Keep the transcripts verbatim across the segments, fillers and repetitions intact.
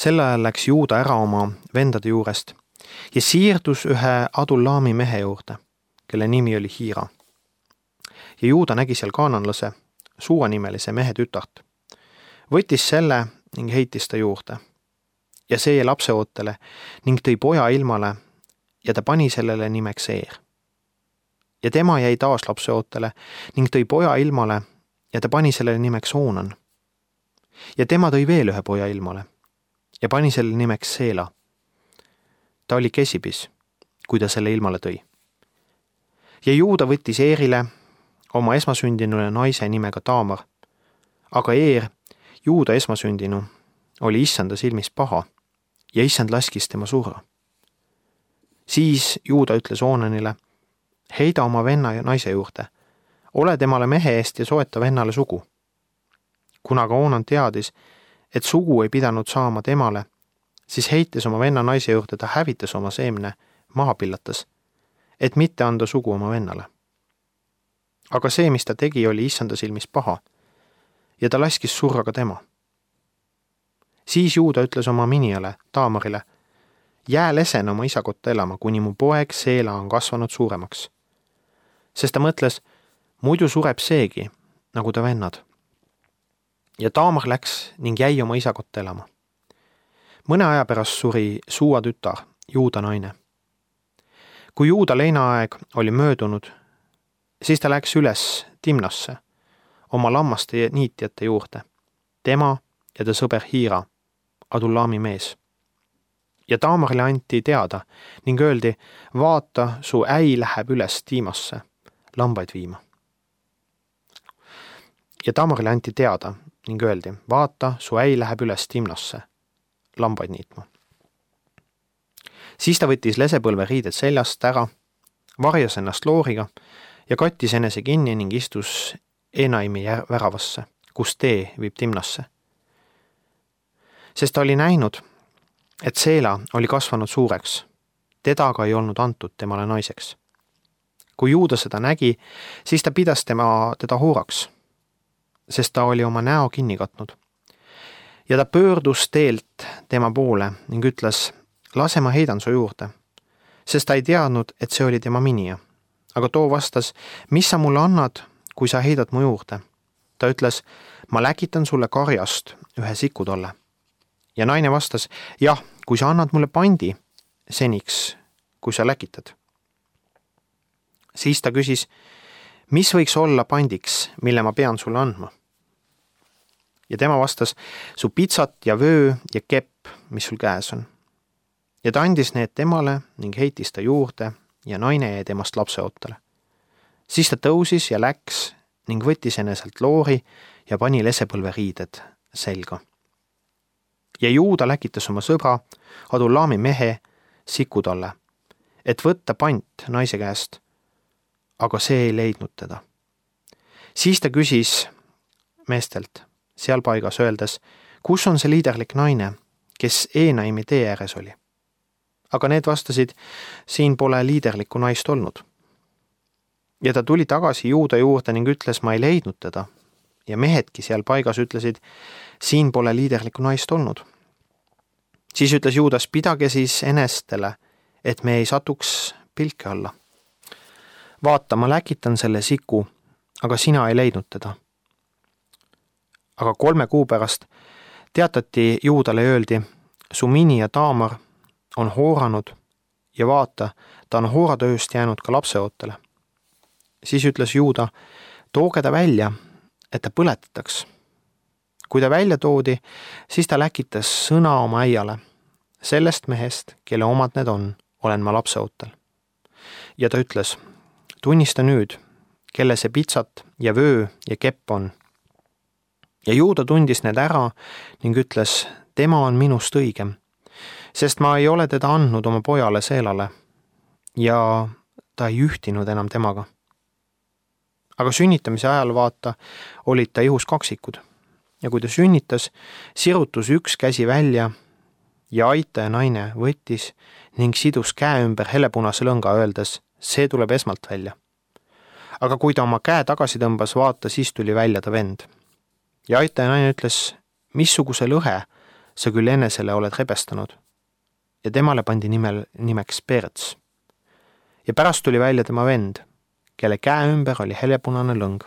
Sel ajal läks Juuda ära oma vendade juurest ja siirdus ühe Adullami mehe juurde, kelle nimi oli Hiira. Ja Juuda nägi seal kaananlase, suunimelise mehe tütart. Võttis selle ning heitis ta juurde. Ja see jäi lapseootele ning tõi poja ilmale ja ta pani sellele nimeks Eer. Ja tema jäi taas lapseootele ning tõi poja ilmale ja ta pani sellele nimeks Oonan. Ja tema tõi veel ühe poja ilmale ja pani sellele nimeks Seela. Ta oli kesipis, kui ta selle ilmale tõi. Ja Juuda võttis Eerile oma esmasündinule naise nimega Taamar, aga Eer, Juuda esmasündinu, oli issanda silmis paha ja issand laskis tema surra. Siis Juuda ütles Oonanile, heida oma venna ja naise juurde, ole temale mehe eest ja soeta vennale sugu. Kuna ka Oonan teadis, et sugu ei pidanud saama temale, siis heites oma venna naise juurde ta hävitas oma seemne, maha pillatas, et mitte anda sugu oma vennale. Aga see, mis ta tegi, oli issanda silmis paha ja ta laskis surra ka tema. Siis Juuda ütles oma minijale, Taamarile, jää lesen oma isa kotta elama, kuni mu poeg Seela on kasvanud suuremaks. Sest ta mõtles, muidu sureb seegi, nagu ta vennad. Ja Taamar läks ning jäi oma isa kotta elama. Mõne aja pärast suri Suua tütar, Juuda naine. Kui Juuda leinaaeg oli möödunud, siis ta läks üles Timnasse, oma lammaste niitjate juurde, tema ja ta sõber Hiira, Adullami mees. Ja Taamarile anti teada ning öeldi, vaata, su äi läheb üles Tiimasse, lambaid viima. Ja Taamarile anti teada ning öeldi, vaata, su äi läheb üles Timnasse, lambaid niitma. Siis ta võttis lesepõlve riided seljast ära, varjas ennast looriga ja kattis enese kinni ning istus Enaimi väravasse, kus tee viib Timnasse. Sest ta oli näinud, et Seela oli kasvanud suureks, teda aga ei olnud antud temale naiseks. Kui Juuda seda nägi, siis ta pidas tema teda hooraks, sest ta oli oma näo kinni katnud. Ja ta pöördus teelt tema poole ning ütles, lase ma heidan su juurde, sest ta ei teadnud, et see oli tema minija. Aga too vastas, mis sa mulle annad, kui sa heidad mu juurde? Ta ütles, ma läkitan sulle karjast ühe sikutolle. Ja naine vastas, jah, kui sa annad mulle pandi, seniks, kui sa läkitad. Siis ta küsis, mis võiks olla pandiks, mille ma pean sulle andma? Ja tema vastas, su pitsat ja vöö ja kepp, mis sul käes on. Ja ta andis need temale ning heitis ta juurde ja naine jäi temast lapseootele. Siis ta tõusis ja läks ning võttis eneselt loori ja pani lesepõlve riided selga. Ja Juuda läkitas oma sõbra, Adullami mehe, Sikutolle, et võtta pant naise käest, aga see ei leidnud teda. Siis ta küsis meestelt seal paigas öeldes, kus on see liiderlik naine, kes Enaimi tee ääres oli. Aga need vastasid, siin pole liiderlikku naist olnud. Ja ta tuli tagasi Juuda juurde ning ütles, ma ei leidnud teda. Ja mehedki seal paigas ütlesid, siin pole liiderlikku naist olnud. Siis ütles Juudas, pidage siis enestele, et me ei satuks pilke alla. Vaata, ma läkitan selle siku, aga sina ei leidnud teda. Aga kolme kuu pärast teatati Juudale öeldi, su mini ja Taamar on hooranud ja vaata, ta on hooratööst jäänud ka lapseootele. Siis ütles Juuda, tooge ta välja, et ta põletataks. Kui ta välja toodi, siis ta läkitas sõna oma äiale. Sellest mehest, kelle omad need on, olen ma lapseootel. Ja ta ütles, tunnista nüüd, kelle see pitsat ja vöö ja kepp on. Ja Juuda tundis need ära ning ütles, tema on minust õigem, sest ma ei ole teda andnud oma pojale Seelale ja ta ei ühtinud enam temaga. Aga sünnitamise ajal vaata, olid ta ihus kaksikud ja kui ta sünnitas, sirutus üks käsi välja ja aitaja naine võttis ning sidus käe ümber helepunase lõnga öeldes, see tuleb esmalt välja. Aga kui ta oma käe tagasi tõmbas, vaata, siis tuli välja ta vend. Ja aitaja naine ütles, missuguse lõhe sa küll enesele oled rebestanud. Ja temale pandi nimel, nimeks Perets. Ja pärast tuli välja tema vend, kelle käe ümber oli heljapunane lõng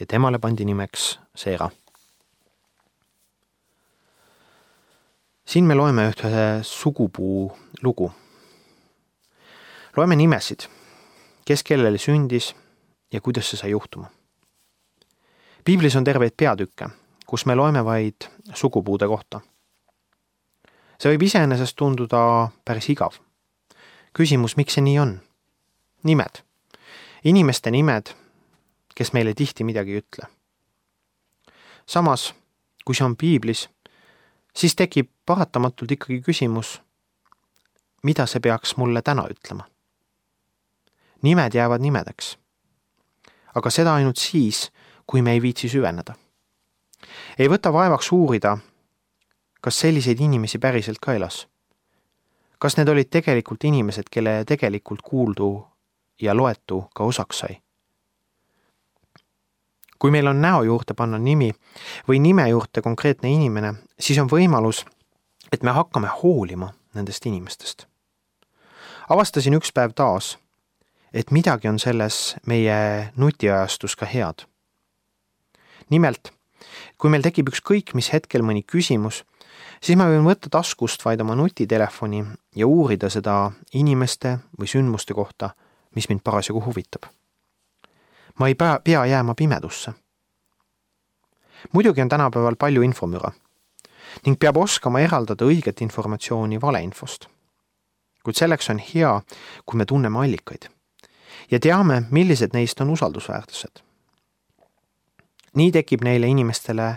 ja temale pandi nimeks Seera. Siin me loeme ühte sugupuu lugu. Loeme nimesid, kes kellele sündis ja kuidas see sai juhtuma. Piiblis on terveid peatükke, kus me loeme vaid sugupuude kohta. See võib iseenesest tunduda päris igav. Küsimus, miks see nii on? Nimed. Inimeste nimed, kes meile tihti midagi ei ütle. Samas, kui see on piiblis, siis tekib paratamatult ikkagi küsimus, mida see peaks mulle täna ütlema. Nimed jäävad nimedeks. Aga seda ainult siis, kui me ei viitsi süveneda. Ei võta vaevaks uurida, kas selliseid inimesi päriselt ka elas. Kas need olid tegelikult inimesed, kelle tegelikult kuuldu ja loetu ka osaks sai. Kui meil on näo juurde panna nimi või nime juurde konkreetne inimene, siis on võimalus, et me hakkame hoolima nendest inimestest. Avastasin üks päev taas, et midagi on selles meie nutiajastus ka head. Nimelt, kui meil tekib ükskõik mis hetkel mõni küsimus, siis ma võin võtta taskust vaid oma nutitelefoni ja uurida seda inimeste või sündmuste kohta, mis mind parasjagu huvitab. Ma ei pea jääma pimedusse. Muidugi on tänapäeval palju infomüra ning peab oskama eraldada õiget informatsiooni valeinfost. Kuid selleks on hea, kui me tunneme allikaid ja teame, millised neist on usaldusväärtused. Nii tekib neile inimestele,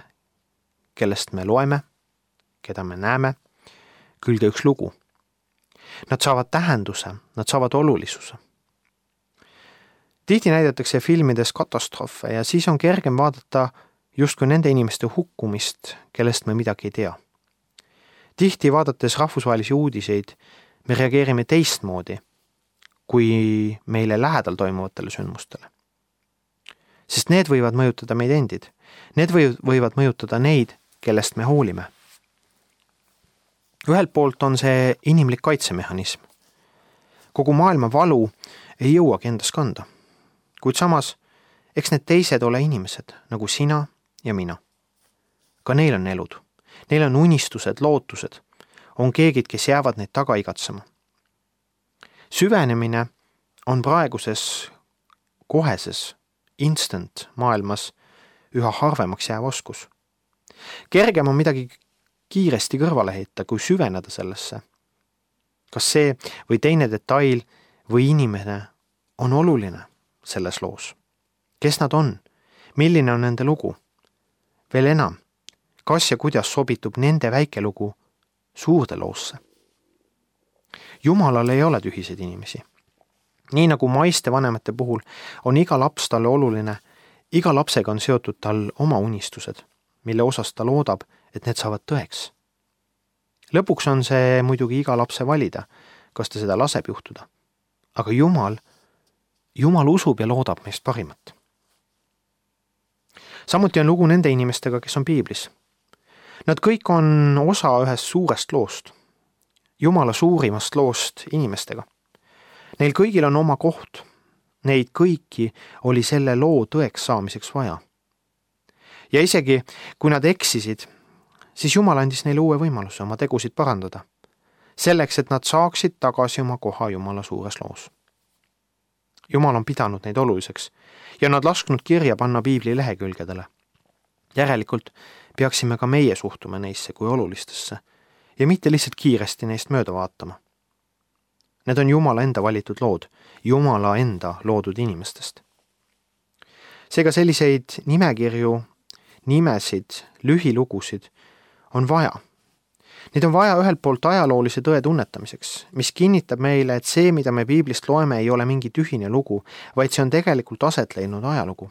kellest me loeme, keda me näeme, külge üks lugu. Nad saavad tähenduse, nad saavad olulisuse. Tihti näidatakse filmides katastroofe ja siis on kergem vaadata justkui nende inimeste hukkumist, kellest me midagi ei tea. Tihti vaadates rahvusvahelisi uudiseid, me reageerime teistmoodi, kui meile lähedal toimuvatele sündmustele. Sest need võivad mõjutada meid endid. Need võivad mõjutada neid, kellest me hoolime. Ühelt poolt on see inimlik kaitsemehhanism. Kogu maailma valu ei jõuagi endas kanda. Kuid samas, eks need teised ole inimesed, nagu sina ja mina. Ka neil on elud. Neil on unistused, lootused. On keegid, kes jäävad neid taga igatsema. Süvenemine on praeguses koheses instant maailmas üha harvemaks jääv oskus. Kergem on midagi kiiresti kõrvale heita, kui süveneda sellesse. Kas see või teine detail või inimene on oluline selles loos? Kes nad on? Milline on nende lugu? Veel enam, kas ja kuidas sobitub nende väike lugu suurde loosse? Jumalal ei ole tühiseid inimesi. Nii nagu maiste vanemate puhul on iga laps talle oluline, iga lapsega on seotud tal oma unistused, mille osas ta loodab, et need saavad tõeks. Lõpuks on see muidugi iga lapse valida, kas ta seda laseb juhtuda. Aga Jumal, Jumal usub ja loodab meist parimat. Samuti on lugu nende inimestega, kes on piiblis. Nad kõik on osa ühest suurest loost, Jumala suurimast loost inimestega. Neil kõigil on oma koht. Neid kõiki oli selle loo tõeks saamiseks vaja. Ja isegi, kui nad eksisid, siis Jumal andis neile uue võimaluse oma tegusid parandada, selleks, et nad saaksid tagasi oma koha Jumala suures loos. Jumal on pidanud neid oluliseks ja nad lasknud kirja panna piibli lehekülgedele. Järelikult peaksime ka meie suhtuma neisse kui olulistesse ja mitte lihtsalt kiiresti neist mööda vaatama. Need on Jumala enda valitud lood, Jumala enda loodud inimestest. Seega selliseid nimekirju, nimesid, lühilugusid on vaja. Neid on vaja ühelt poolt ajaloolise tõe tunnetamiseks, mis kinnitab meile, et see, mida me piiblist loeme, ei ole mingi tühine lugu, vaid see on tegelikult aset leidnud ajalugu.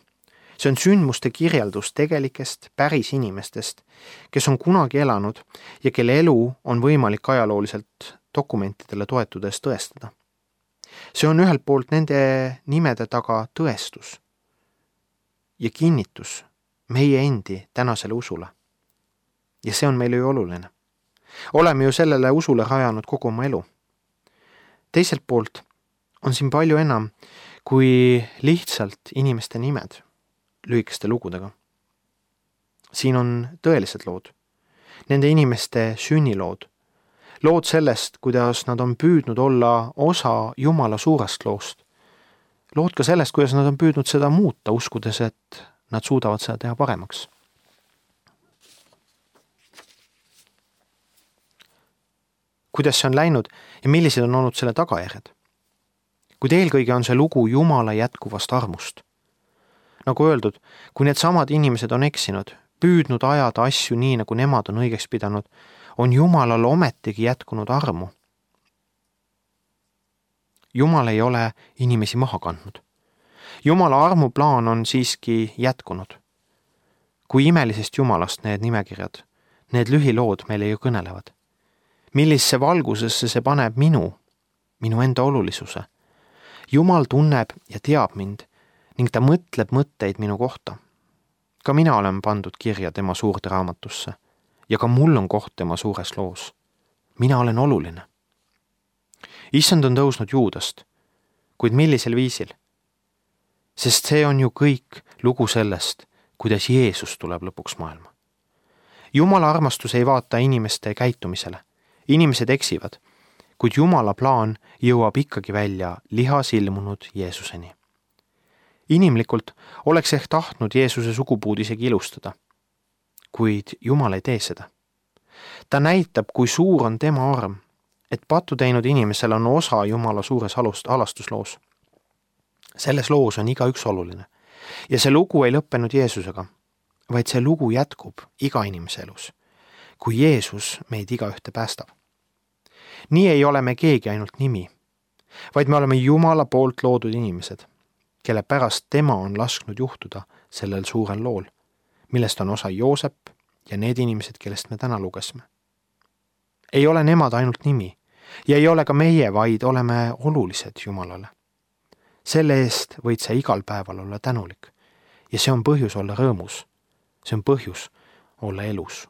See on sündmuste kirjeldus tegelikest päris inimestest, kes on kunagi elanud ja kelle elu on võimalik ajalooliselt dokumentidele toetudes tõestada. See on ühelt poolt nende nimede taga tõestus ja kinnitus meie endi tänasele usule. Ja see on meile ju oluline. oleme ju sellele usule rajanud kogu oma elu. Teiselt poolt on siin palju enam kui lihtsalt inimeste nimed lühikeste lugudega. Siin on tõelised lood, nende inimeste sünnilood, lood sellest, kuidas nad on püüdnud olla osa Jumala suurest loost, lood ka sellest, kuidas nad on püüdnud seda muuta, uskudes, et nad suudavad seda teha paremaks. Kuidas see on läinud ja millised on olnud selle tagajärjed? Kuid eelkõige on see lugu Jumala jätkuvast armust. Nagu öeldud, kui need samad inimesed on eksinud, püüdnud ajada asju nii, nagu nemad on õigeks pidanud, on Jumalal ometigi jätkunud armu. Jumal ei ole inimesi maha kandnud. Jumala armuplaan on siiski jätkunud. Kui imelisest Jumalast need nimekirjad, need lühilood meile ju kõnelevad. Millisse valgusesse see paneb minu, minu enda olulisuse. Jumal tunneb ja teab mind ning ta mõtleb mõtteid minu kohta. Ka mina olen pandud kirja tema suurde raamatusse ja ka mul on koht tema suures loos. Mina olen oluline. Issand on tõusnud Juudast, kuid millisel viisil? Sest see on ju kõik lugu sellest, kuidas Jeesus tuleb lõpuks maailma. Jumala armastus ei vaata inimeste käitumisele. Inimesed eksivad, kuid Jumala plaan jõuab ikkagi välja lihas ilmunud Jeesuseni. Inimlikult oleks ehk tahtnud Jeesuse sugupuud isegi ilustada, kuid Jumal ei tee seda. Ta näitab, kui suur on tema arm, et pattu teinud inimesel on osa Jumala suures alastusloos. Selles loos on igaüks oluline ja see lugu ei lõppenud Jeesusega, vaid see lugu jätkub iga inimese elus, kui Jeesus meid igaühte päästab. Nii ei ole me keegi ainult nimi, vaid me oleme Jumala poolt loodud inimesed, kelle pärast tema on lasknud juhtuda sellel suurel lool, millest on osa Joosep ja need inimesed, kellest me täna lugesime. Ei ole nemad ainult nimi ja ei ole ka meie, vaid oleme olulised Jumalale. Selle eest võid sa igal päeval olla tänulik ja see on põhjus olla rõõmus, see on põhjus olla elus.